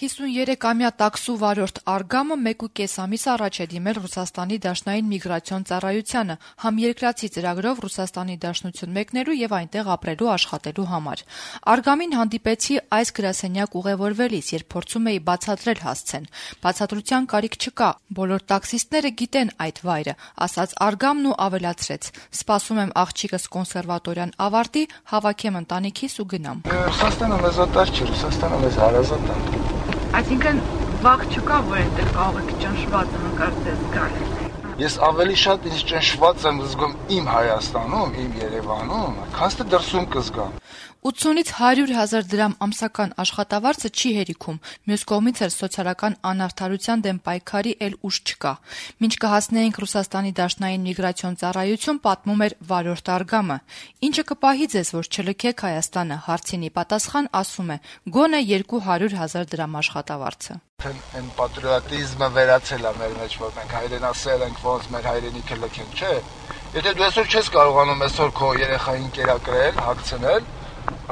53-ամյա տաքսու վարորդ Արգամը 1.5 ամիս առաջ է դիմել Ռուսաստանի Դաշնային միգրացիոն ծառայությանը համերկրացի ծրագրով Ռուսաստանի Դաշնություն մեկնելու եւ այնտեղ ապրելու աշխատելու համար։ Արգամին հանդիպեցի այս գրասենյակ ուղևորվելիս, երբ փորձում էի բացատրել հասցեն։ Բացատրության կարիք չկա, բոլոր տաքսիստները գիտեն այդ վայրը, ասաց Արգամն ու ավելացրեց. Սպասում եմ աղջիկս կոնսերվատորիան ավարտի, հավաքեմ ընտանիքիս ու գնամ։ Ռուսաստանը մեզ օտար չէ, Ռուսաստանը մեզ հարազատ է։ Այսինքն վաղ չկա, որ այնտեղ կարող եք ճնշված ընկարտես գալ։ Ես ավելի շատ ինձ ճնշված եմ զգում իմ Հայաստանում, իմ Երևանում, քան թե դրսում կզգամ։ 80-ից 100,000 դրամ ամսական աշխատավարձը չի հերիքում, մյուս կողմից էլ սոցիալական անարդարության դեմ պայքարի էլ ուժ չկա։ Մինչ կհասնեինք Ռուսաստանի Դաշնային միգրացիոն ծառայություն, պատմում էր վարորդ Արգամը։ Ինչը կպահի ձեզ, որ չլքեք Հայաստանը, հարցինի պատասխան ասում է՝ գոնե 200,000 դրամ աշխատավարձը։ Այն պատրիոտիզմը վերացել է մեր մեջ, որ մենք հայրենասեր ենք, ոնց մեր հայրենիքը լքենք, չէ։ Եթե դու այսօր չես կարողանում այսօր քո երեխային կերակրել, հագցնել,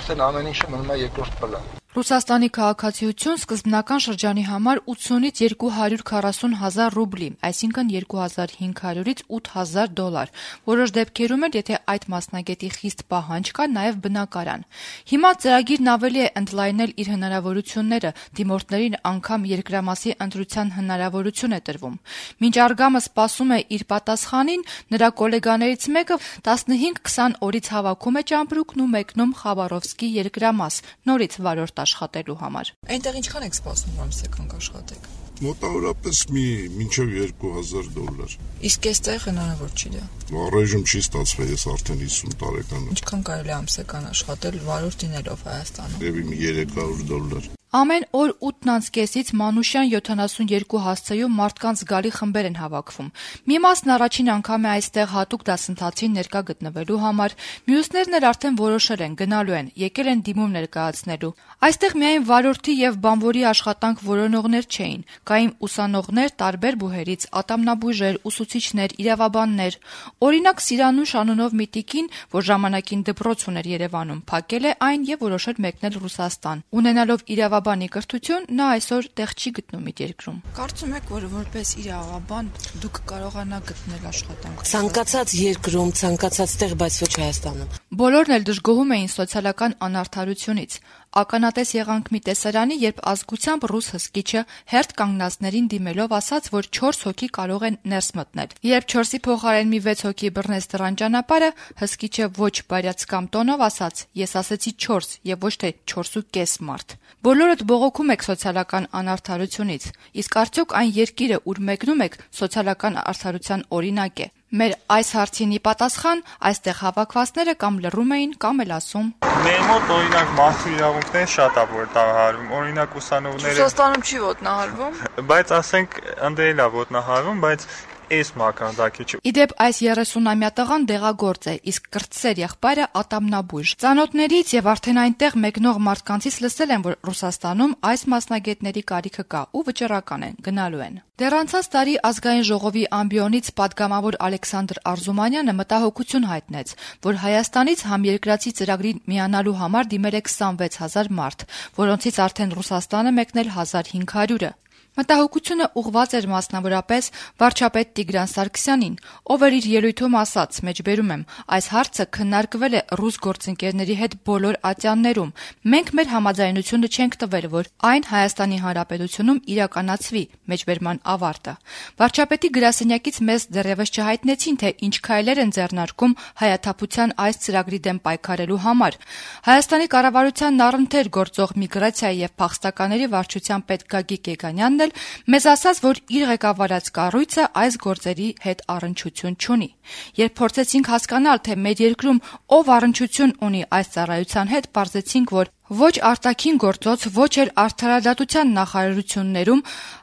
արդեն ամեն ինչը մնում է երկրորդ պլան։ Ռուսաստանի քաղաքացիություն սկզբնական շրջանի համար 80-ից 240,000 ռուբլի, այսինքն 2500-ից 8,000 դոլար։ Որոշ դեպքերում էլ, եթե այդ մասնագետի խիստ պահանջ կա, նաև բնակարան։ Հիմա ծրագիրն ավելի է ընդլայնել իր հնարավորությունները, դիմորդներին անգամ երկրամասի ընտրության հնարավորություն է տրվում։ Մինչ Արգամը սպասում է իր պատասխանին, նրա գոլեգաներից մեկը 15-20 օրից հավաքում է ճամպրուկն ու մեկնում Խաբարովսկի երկրամաս, նորից վարորդ աշխատելու համար։ Այնտեղ ինչքան եք սպասում, որ ամսական աշխատեք։ Մոտավորապես մինչև 2,000 դոլար։ Իսկ այստեղ հնարավոր չի դա։ Առայժմ չի ստացվել, ես արդեն 50 տարեկան եմ։ Ինչքան կարելի է ամսական աշխատել վարորդ լինելով Հայաստանում։ Եվ 300 դոլար։ Ամեն օր 8:30-ից Մանուշյան 72 հասցեում մարդկանց զգալի խմբեր են հավաքվում։ Մի մասն առաջին անգամ է այստեղ հատուկ դասընթացին ներկա գտնվելու համար, մյուսներն էլ արդեն որոշել են գնալու են, եկել են դիմում ներկայացնելու։ Այստեղ միայն վարորդի եւ բանվորի աշխատանք որոնողներ չէին, կային ուսանողներ տարբեր բուհերից, ատամնաբույժեր, ուսուցիչներ, իրավաբաններ։ Օրինակ Սիրանուշ անունով մի տիկին, որ ժամանակին դպրոց ուներ Երևանում, փակել է այն եւ որոշել մեկնել Ռուսաստան։ Ունենալով իրավաբանի կրթություն, նա այսօր տեղ չի գտնում իր երկրում։ Կարծում եք, որ որպես իրավաբան դուք կարողանաք գտնել աշխատանք ցանկացած երկրում, ցանկացած տեղ, բայց ոչ Հայաստանում։ Բոլորն էլ դժգոհում էին սոցիալական անարդարությունից։ Ականատես եղանք մի տեսարանի, երբ ազգությամբ ռուս հսկիչը հերթ կանգնածներին դիմելով ասաց, որ 4 հոգի կարող են ներս մտնել։ Երբ 4-ի փոխարեն մի 6 հոգի բռնեց դրան ճանապարհը, հսկիչը ոչ բարյացկամ տոնով ասաց. «Ես ասեցի 4 եւ ոչ թե 4.5 մարդ»։ Բոլորդ բողոքում եք սոցիալական անարդարությունից, իսկ արդյոք այն երկիրը, ուր մեկնում եք, սոցիալական արդարության օրինակ է։ Մեր այս հարցինի պատասխան այստեղ հավաքվածները կամ լռում էին, կամ էլ ասում. Մեր մոտ օրինակ մարդու իրավունքներ շատ է ոտնահարվում, օրինակ ուսանողները Ռուսաստանում չի ոտնահարվում, բայց ասենք ընդերել է ոտնահարվում, բայց այս մակարդակի չի։ Իդեպ այս 30-ամյա տղան դեղագործ է, իսկ կրտսեր եղբայրը ատամնաբույժ։ Ծանոթներից եւ արդեն այնտեղ մեկնող մարդկանցից լսել են, որ Ռուսաստանում այս մասնագետների կարիքը կա ու վճռական են, գնալու են։ Դեռ անցած տարի ազգային ժողովի ամբիոնից падգամավոր Ալեքսանդր Արզումանյանը մտահոգություն հայտնեց, որ Հայաստանից համերկրացի ծրագրին միանալու համար դիմել է 26,000 մարդ, որոնցից արդեն Ռուսաստանը մեկնել 1,500-ը։ Մտահոգությունը ուղղված էր մասնավորապես վարչապետ Տիգրան Սարգսյանին, ով իր ելույթում ասաց, մեջբերում եմ, այս հարցը քննարկվել է ռուս գործընկերների հետ բոլոր ատյաններում։ Մենք մեր համաձայնությունը չենք տվել, որ այն Հայաստանի Հանրապետությունում իրականացվի, մեջբերման ավարտը։ Վարչապետի գրասենյակից մեզ դեռևս չհայտնեցին, թե ինչ քայլեր են ձեռնարկում հայաթափության այս ծրագրի դեմ պայքարելու համար։ Հայաստանի կառավարությանն առընթեր գործող միգրացիայի եւ փախստականների վարչության պետ Գագիկ Եգանյանն մեզ ասաց, որ իր ղեկավարած կառույցը այս գործերի հետ առնչություն չունի։ Երբ փորձեցինք հասկանալ, թե մեր երկրում ով առնչություն ունի այս ծառայության հետ, պարզեցինք, որ ոչ արտաքին գործոց, ոչ էլ արդարադատության նախարարություններում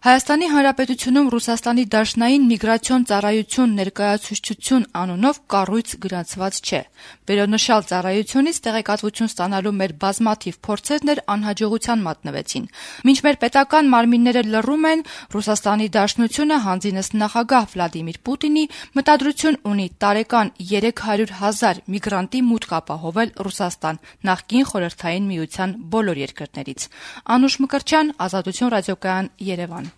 Հայաստանի Հանրապետությունում Ռուսաստանի Դաշնային միգրացիոն ծառայություն ներկայացուցչություն անունով կառույց գրանցված չէ։ Վերոնշյալ ծառայությունից տեղեկատվություն ստանալու մեր բազմաթիվ փորձերն էլ անհաջողության մատնվեցին։ Մինչ մեր պետական մարմինները լռում են, Ռուսաստանի Դաշնությունը հանձինս նախագահ Վլադիմիր Պուտինի մտադրություն ունի տարեկան 300,000 միգրանտի մուտք ապահովել Ռուսաստան նախկին Խորհրդային Միության միության բոլոր երկրներից։ Անուշ Մկրտչյան, Ազատություն ռադիոկայան, Երևան։